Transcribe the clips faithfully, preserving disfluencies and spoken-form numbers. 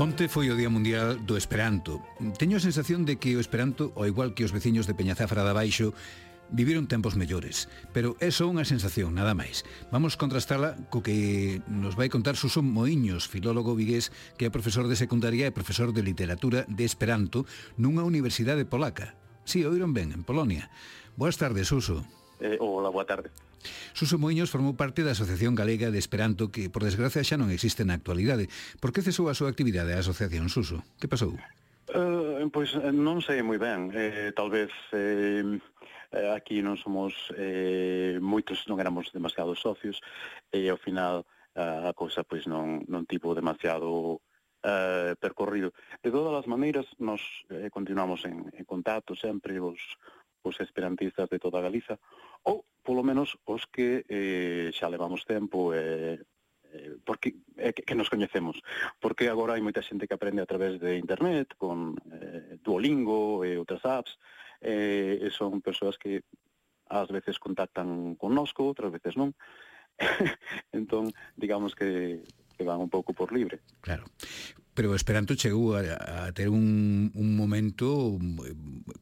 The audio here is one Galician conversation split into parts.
Onte foi o Día Mundial do Esperanto. Teño a sensación de que o Esperanto, ao igual que os veciños de Peñazafra de Abaixo, viviron tempos mellores, pero é só unha sensación, nada máis. Vamos contrastala co que nos vai contar Suso Moiños, filólogo vigués que é profesor de secundaria e profesor de literatura de Esperanto nunha universidade polaca. Si, oíron ben, en Polonia. Boas tardes, Suso. Eh, hola, boa tarde. Suso Moiños formou parte da Asociación Galega de Esperanto que, por desgracia, xa non existe na actualidade. Por que cesou a súa actividade a asociación, Suso? Que pasou? Uh, pois non sei moi ben. Eh, tal vez eh, aquí non somos eh, moitos, non éramos demasiados socios e ao final uh, a cousa pois non, non tivo demasiado uh, percorrido. De todas as maneiras, nos eh, continuamos en, en contacto sempre os, os esperantistas de toda Galiza, ou polo menos os que eh, xa levamos tempo e eh, porque eh, que nos coñecemos, porque agora hai moita xente que aprende a través de internet con eh, Duolingo e outras apps, eh, e son persoas que ás veces contactan connosco, outras veces non. Entón, digamos que, que van un pouco por libre. Claro. Pero o Esperanto chegou a, a ter un, un momento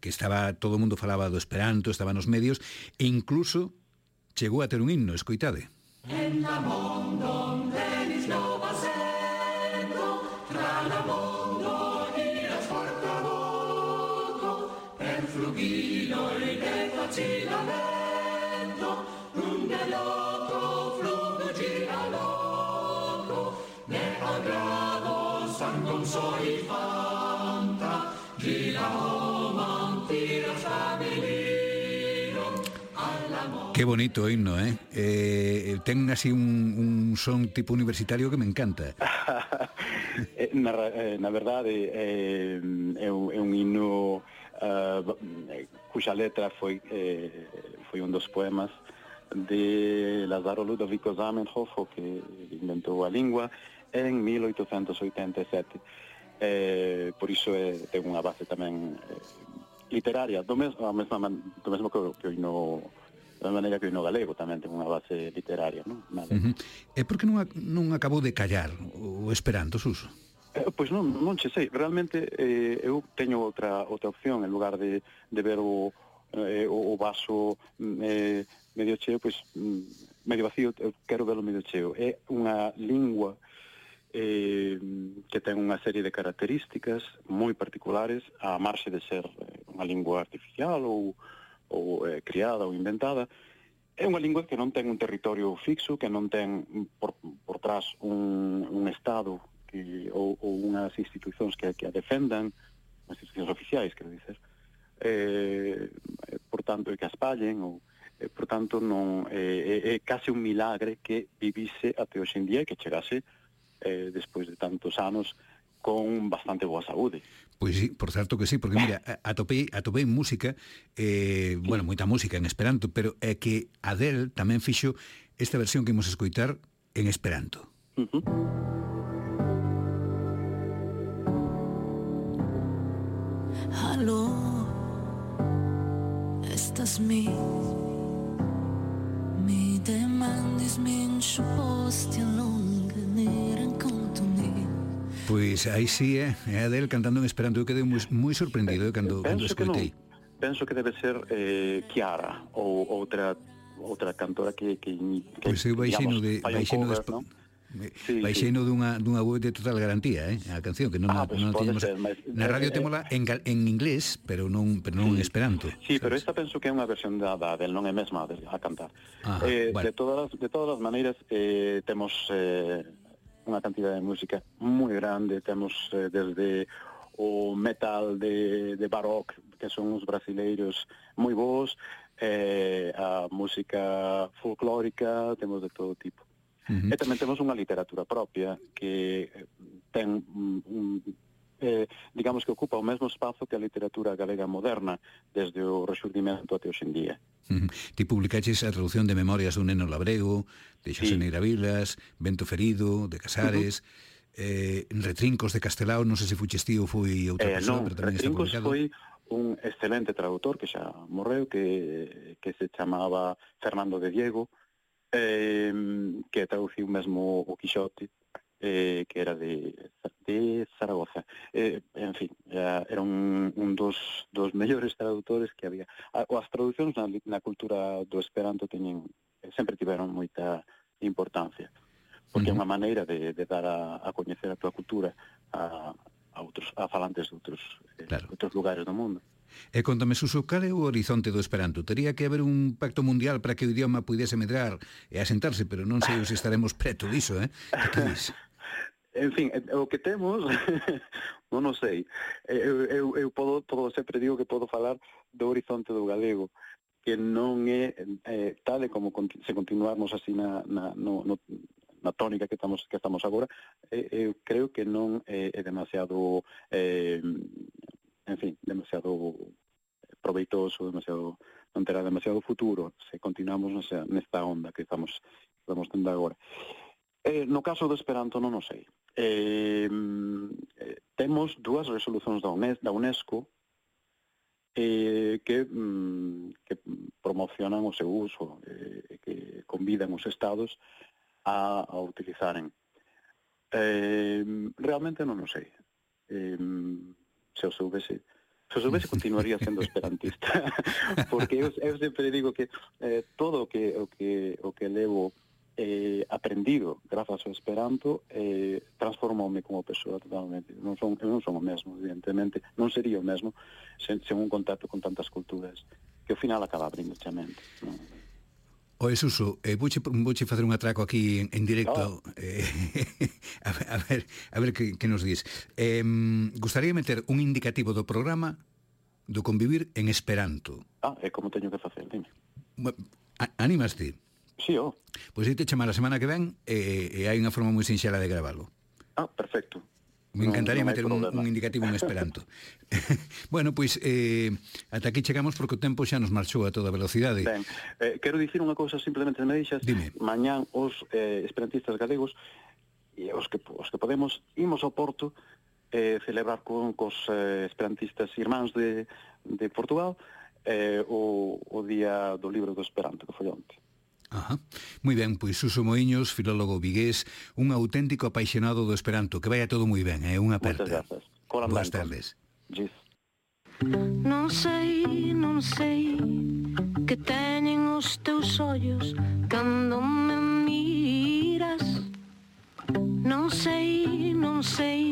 que estaba, todo o mundo falaba do Esperanto, estaba nos medios, e incluso chegou a ter un himno, escoitade. En la mondo venis nova sento, tra la mondo iras portadoto, per flugilo e de facilamento, un loco flugo gira loco, ne agrado sangon soi fanta, gira o mantira stabiliro, alla mondo. Qué bonito himno, eh? eh ten así un, un son tipo universitario que me encanta. na, na verdade, eh, é, un, é un himno uh, cuxa letra foi, eh, foi un dos poemas de Lázaro Ludovico Zamenhof, que inventou a lingua en mil oitocentos oitenta e sete. Eh, por iso é, ten unha base tamén eh, literaria, do mesmo, a mesma, do mesmo que, que o himno, da maneira que o himno galego tamén ten unha base literaria, non? Uh-huh. E por que non, non acabou de callar o Esperanto, Suso? Eh, pois non, non che sei, realmente eh, eu teño outra outra opción, en lugar de, de ver o, eh, o, o vaso eh, medio cheo, pois medio vacío, eu quero verlo medio cheo. É unha lingua eh, que ten unha serie de características moi particulares, a marxe de ser unha lingua artificial ou, ou eh, criada ou inventada. É unha lingua que non ten un territorio fixo, que non ten por, por trás un, un Estado que, ou, ou unhas institucións que, que a defendan, as institucións oficiais, quero dizer, eh, por tanto, que a espallen, ou, eh, por tanto, non, eh, é case un milagre que vivise até hoxe en día e que chegase eh, despois de tantos anos con bastante boa saúde. Pois sí, por certo que sí, porque mira, atopei, atopei música, eh, sí. Bueno, moita música en Esperanto, pero é que Adele tamén fixo esta versión que imos escoitar en Esperanto. Uh-huh. Hallo, estas mi Mi demandis min xuposti longa neran conto ni. Pois aí sí, é, é Adele cantando en Esperanto. Eu quedei moi, moi sorprendido eh, cando, cando escoitei. Penso que debe ser eh, Chiara ou outra outra cantora que... que, que pois eu baixeno de... Baixeno de ¿no? Sí, baixeno sí. dunha, dunha web de total garantía, eh? A canción, que non, ah, a, pues non teñemos... Ser, mas, na radio eh, témola en, en inglés, pero non, pero non sí, en Esperanto. Sí, ¿sabes? Pero esta penso que é unha versión da, da del non é mesma de, a cantar. Ajá, eh, vale. De todas de todas as maneiras, eh, temos eh, unha cantidad de música moi grande, temos eh, desde o metal de, de Baroque, que son os brasileiros moi bons, eh, a música folclórica, temos de todo tipo. Uh-huh. E tamén temos unha literatura propia que ten un, eh, digamos que ocupa o mesmo espazo que a literatura galega moderna desde o Rexurdimento até hoxe en día. Uh-huh. Ti publicaches a traducción de Memorias dun neno labrego, de Xosé sí. Neira Vilas, Vento ferido, de Casares, uh-huh. eh, Retrincos de Castelao, non sei se fuches ti ou foi outra eh, persoa, non, pero tamén está publicado. Foi un excelente traductor que xa morreu, que, que se chamaba Fernando de Diego, eh, que traduciu mesmo o Quixote, eh, que era de, de Zaragoza. Eh, en fin, era, era un, un dos, dos mellores traductores que había. As traduccións na, na cultura do Esperanto teñen, sempre tiveron moita importancia, porque uh-huh. é unha maneira de, de dar a, a coñecer a tua cultura a, a, outros, a falantes de outros, claro. eh, outros lugares do mundo. E contame, Suso, cal é o horizonte do Esperanto? Tería que haber un pacto mundial para que o idioma pudese medrar e asentarse, pero non sei se estaremos preto diso, eh? Que dis? En fin, o que temos, non o sei. Eu, eu, eu podo, podo, sempre digo que podo falar do horizonte do galego, que non é eh, tal e como se continuarmos así na, na, no, no, na tónica que estamos que estamos agora, eh, eu creo que non é, é demasiado... Eh, en fin, demasiado proveitoso, demasiado, non terá demasiado futuro se continuamos nesa, nesta onda que estamos, estamos tendo agora. Eh, no caso do Esperanto non o sei. Eh, eh, temos dúas resolucións da, UNES, da UNESCO eh, que, mm, que promocionan o seu uso, eh, que convidan os estados a, a utilizaren. Eh, realmente non o sei. Eh, se o soubese, se o soubese continuaría sendo esperantista, porque eu, eu sempre digo que eh, todo o que o que o que levo eh, aprendido grazas ao Esperanto eh, transformoume como persoa totalmente. Non son, eu non son o mesmo, evidentemente, non sería o mesmo sen, sen un contacto con tantas culturas que ao final acaba abrindo a mente, non? Oe, Suso, eh, vouche, vouche facer un atraco aquí en, en directo. Oh. Eh, a, a ver, a ver que, que nos dis. Eh, gustaría meter un indicativo do programa do convivir en Esperanto. Ah, é como teño que facer, dime. Animaste? Sí, oh. Pois aí te chamar a semana que ven e, e hai unha forma moi sinxela de gravalo. Ah, perfecto. Me encantaría non, non meter un, un indicativo en Esperanto. Bueno, pois eh, ata aquí chegamos porque o tempo xa nos marchou a toda velocidade. Ben, eh, quero dicir unha cousa, simplemente me deixas. Dime. Mañán os eh, esperantistas galegos e os que, os que podemos imos ao Porto eh, celebrar con cos eh, esperantistas irmáns de, de Portugal eh, o, o Día do Libro do Esperanto, que foi onte. Ajá. Moi ben, pois Suso Moiños, filólogo vigués, un auténtico apaixonado do Esperanto. Que vaya todo moi ben, é eh? unha aperta. Moitas grazas. Boas tardes. Gis. Non sei, non sei que teñen os teus ollos cando me miras. Non sei, non sei,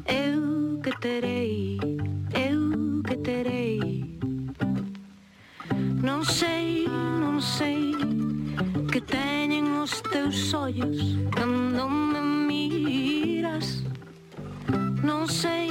eu que terei, eu que terei. Non sei, non sei que teñen os teus ollos cando me miras. Non sei